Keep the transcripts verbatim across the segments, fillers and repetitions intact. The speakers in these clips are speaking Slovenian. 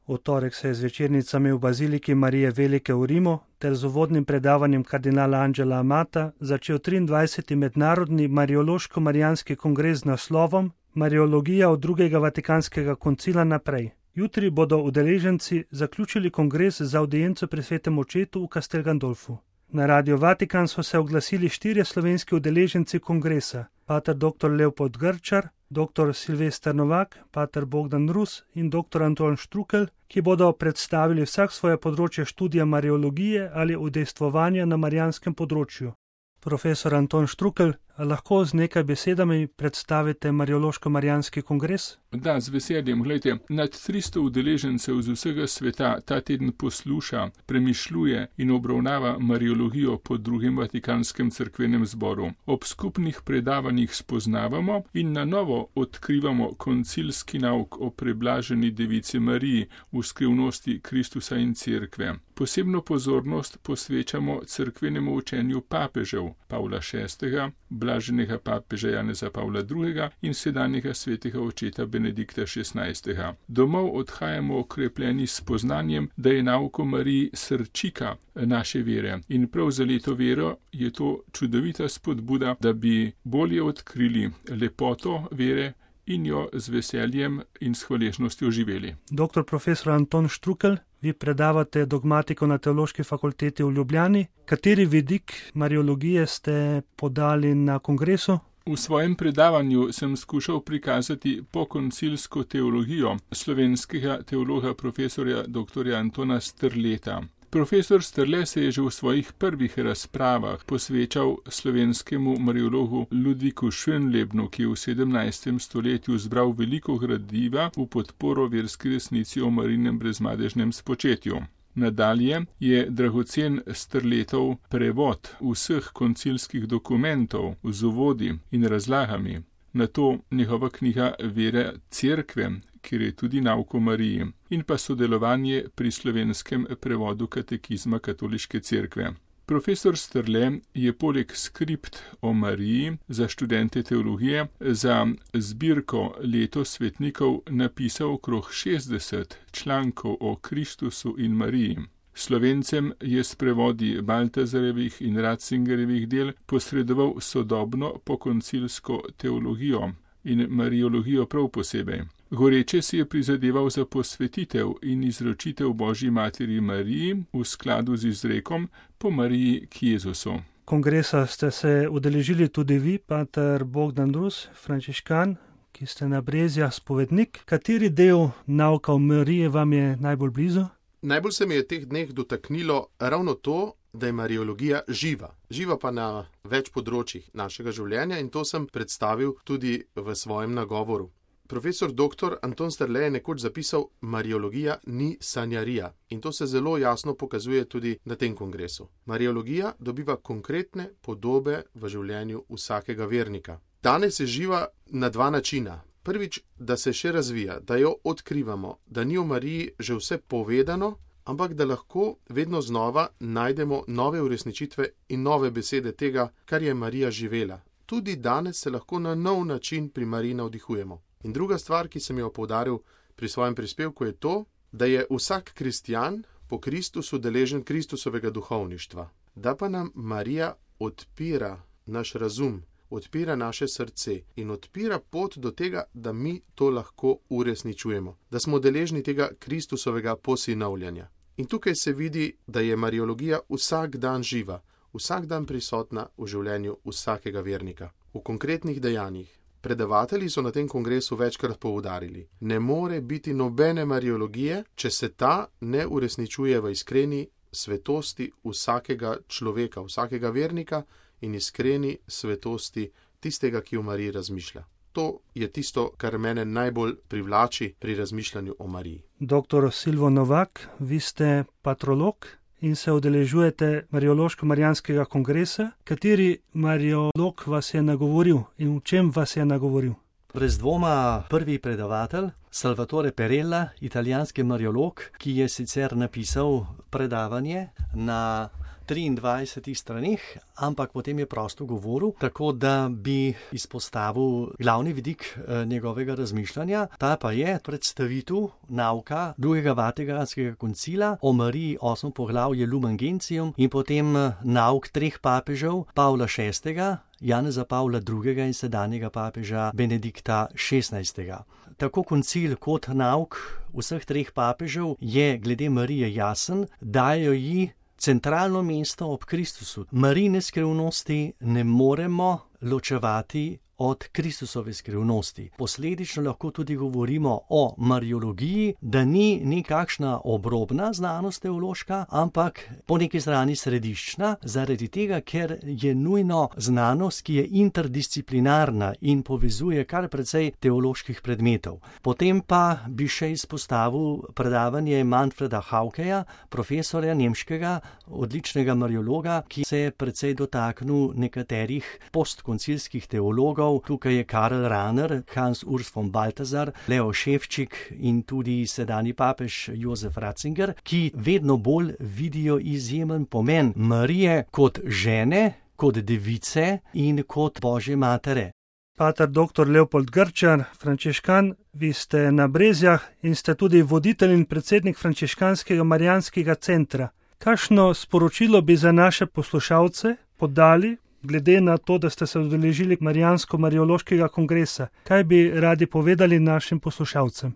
V torek se je z večernicami v Baziliki Marije Velike v Rimu ter z uvodnim predavanjem kardinala Angela Amata začel triindvajseti mednarodni Mariološko-marijanski kongres z naslovom Mariologija od drugega vatikanskega koncila naprej. Jutri bodo udeleženci zaključili kongres za avdienco pri svetem očetu v Castel Gandolfu. Na Radio Vatikan so se oglasili štirje slovenski udeleženci kongresa: pater doktor Leopold Grčar, doktor Silvester Novak, pater Bogdan Rus in doktor Anton Štrukelj, ki bodo predstavili vsak svoje področje študija mariologije ali udejstvovanja na marijanskem področju. Profesor Anton Štrukelj, lahko z nekaj besedami predstavite Mariološko-marijanski kongres? Da, z veseljem. Glejte, nad tristo udeležencev z vsega sveta ta teden posluša, premišljuje in obravnava mariologijo po drugem Vatikanskem cerkvenem zboru. Ob skupnih predavanjih spoznavamo in na novo odkrivamo koncilski nauk o preblaženi devici Mariji v skrivnosti Kristusa in cerkve. Posebno pozornost posvečamo cerkvenemu učenju papežev Pavla šestega, blaženega papeža Janeza Pavla drugega in sedanjega svetega očeta Benedikta šestnajstega. Domov odhajamo okrepljeni s spoznanjem, da je nauk o Mariji srčika naše vere in prav za leto vero je to čudovita spodbuda, da bi bolje odkrili lepoto vere in jo z veseljem in s hvaležnostjo živeli. Doktor profesor Anton Štrukelj, vi predavate dogmatiko na Teološki fakulteti v Ljubljani. Kateri vidik mariologije ste podali na kongresu? V svojem predavanju sem skušal prikazati pokoncilsko teologijo slovenskega teologa profesorja doktorja Antona Strleta. Profesor Strle se je že v svojih prvih razpravah posvečal slovenskemu mariologu Ludviku Schönlebnu, ki je v sedemnajstem stoletju zbral veliko gradiva v podporo verski resnici o Marijinem brezmadežnem spočetju. Nadalje je dragocen Strletov prevod vseh koncilskih dokumentov z uvodi in razlagami, nato njegova knjiga Vere cerkve, kjer je tudi nauk o Mariji, in pa sodelovanje pri slovenskem prevodu katekizma katoliške cerkve. Profesor Strle je poleg skript o Mariji za študente teologije za zbirko Leto svetnikov napisal okrog šestdeset člankov o Kristusu in Mariji. Slovencem je s prevodi Baltazarjevih in Ratzingerjevih del posredoval sodobno pokoncilsko teologijo in mariologijo prav posebej. Goreče si je prizadeval za posvetitev in izročitev Božji materi Mariji v skladu z izrekom po Mariji k Jezusu. Kongresa ste se udeležili tudi vi, pater Bogdan Rus, frančiškan, ki ste na Brezjah spovednik. Kateri del nauka o Mariji vam je najbolj blizu? Najbolj se mi je teh dneh dotaknilo ravno to, da je mariologija živa. Živa pa na več področjih našega življenja in to sem predstavil tudi v svojem nagovoru. Profesor doktor Anton Strle je nekoč zapisal: Mariologija ni sanjarija. In to se zelo jasno pokazuje tudi na tem kongresu. Mariologija dobiva konkretne podobe v življenju vsakega vernika. Danes je živa na dva načina. Prvič, da se še razvija, da jo odkrivamo, da ni o Mariji že vse povedano, ampak da lahko vedno znova najdemo nove uresničitve in nove besede tega, kar je Marija živela. Tudi danes se lahko na nov način pri Mariji navdihujemo. In druga stvar, ki sem jo poudaril pri svojem prispevku, je to, da je vsak kristjan po Kristusu deležen Kristusovega duhovništva. Da pa nam Marija odpira naš razum, odpira naše srce in odpira pot do tega, da mi to lahko uresničujemo. Da smo deležni tega Kristusovega posinovljanja. In tukaj se vidi, da je mariologija vsak dan živa, vsak dan prisotna v življenju vsakega vernika, v konkretnih dejanjih. Predavatelji so na tem kongresu večkrat poudarili: ne more biti nobene mariologije, če se ta ne uresničuje v iskreni svetosti vsakega človeka, vsakega vernika in iskreni svetosti tistega, ki o Mariji razmišlja. To je tisto, kar mene najbolj privlači pri razmišljanju o Mariji. Doktor Silvo Novak, vi ste patrolog in se udeležujete Mariološko-marijanskega kongresa. Kateri mariolog vas je nagovoril in v čem vas je nagovoril? Brez dvoma prvi predavatelj, Salvatore Perella, italijanski mariolog, ki je sicer napisal predavanje na triindvajsetih straneh, ampak potem je prosto govoril, tako da bi izpostavil glavni vidik njegovega razmišljanja. Ta pa je predstavitev nauka drugega Vatikanskega koncila o Mariji, osmo poglavje Lumen Gentium, in potem nauk treh papežev, Pavla šestega, Janeza Pavla drugega in sedanjega papeža Benedikta šestnajstega. Tako koncil kot nauk vseh treh papežev je glede Marije jasen, dajo ji centralno mesto ob Kristusu. Marijine skrivnosti ne moremo ločevati od Kristusove skrivnosti. Posledično lahko tudi govorimo o mariologiji, da ni nekakšna obrobna znanost teološka, ampak po neki strani središčna, zaradi tega, ker je nujno znanost, ki je interdisciplinarna in povezuje kar precej teoloških predmetov. Potem pa bi še izpostavil predavanje Manfreda Haukeja, profesorja nemškega, odličnega mariologa, ki se je precej dotaknil nekaterih postkoncilskih teologov. Tukaj je Karl Rahner, Hans Urs von Balthasar, Leo Ševčik in tudi sedanji papež Jozef Ratzinger, ki vedno bolj vidijo izjemen pomen Marije kot žene, kot device in kot Božje matere. Pater doktor Leopold Grčar, frančiškan, vi ste na Brezjah in ste tudi voditelj in predsednik frančiškanskega marijanskega centra. Kakšno sporočilo bi za naše poslušalce podali, glede na to, da ste se udeležili Marijansko-mariološkega kongresa? Kaj bi radi povedali našim poslušalcem?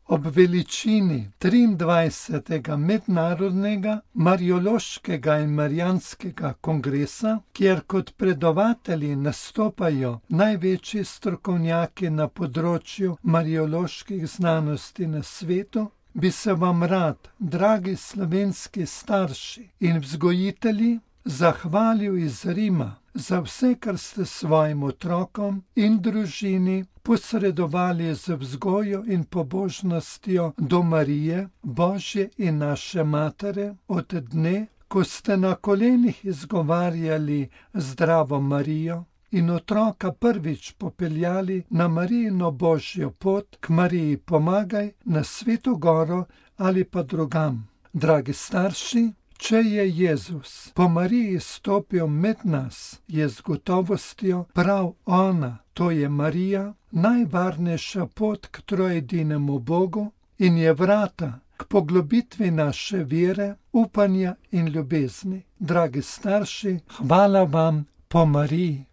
Ob veličini triindvajsetega mednarodnega mariološkega in marijanskega kongresa, kjer kot predavatelji nastopajo največji strokovnjaki na področju marioloških znanosti na svetu, bi se vam rad, dragi slovenski starši in vzgojitelji, zahvalil iz Rima za vse, kar ste svojim otrokom in družini posredovali z vzgojo in pobožnostjo do Marije, Božje in naše matere, od dne, ko ste na kolenih izgovarjali Zdravo Marijo in otroka prvič popeljali na Marijino Božjo pot k Mariji Pomagaj na Sveto Goro ali pa drugam. Dragi starši, če je Jezus po Mariji stopil med nas, je z gotovostjo prav ona, to je Marija, najvarnejša pot k trojedinemu Bogu in je vrata k poglobitvi naše vere, upanja in ljubezni. Dragi starši, hvala vam po Mariji.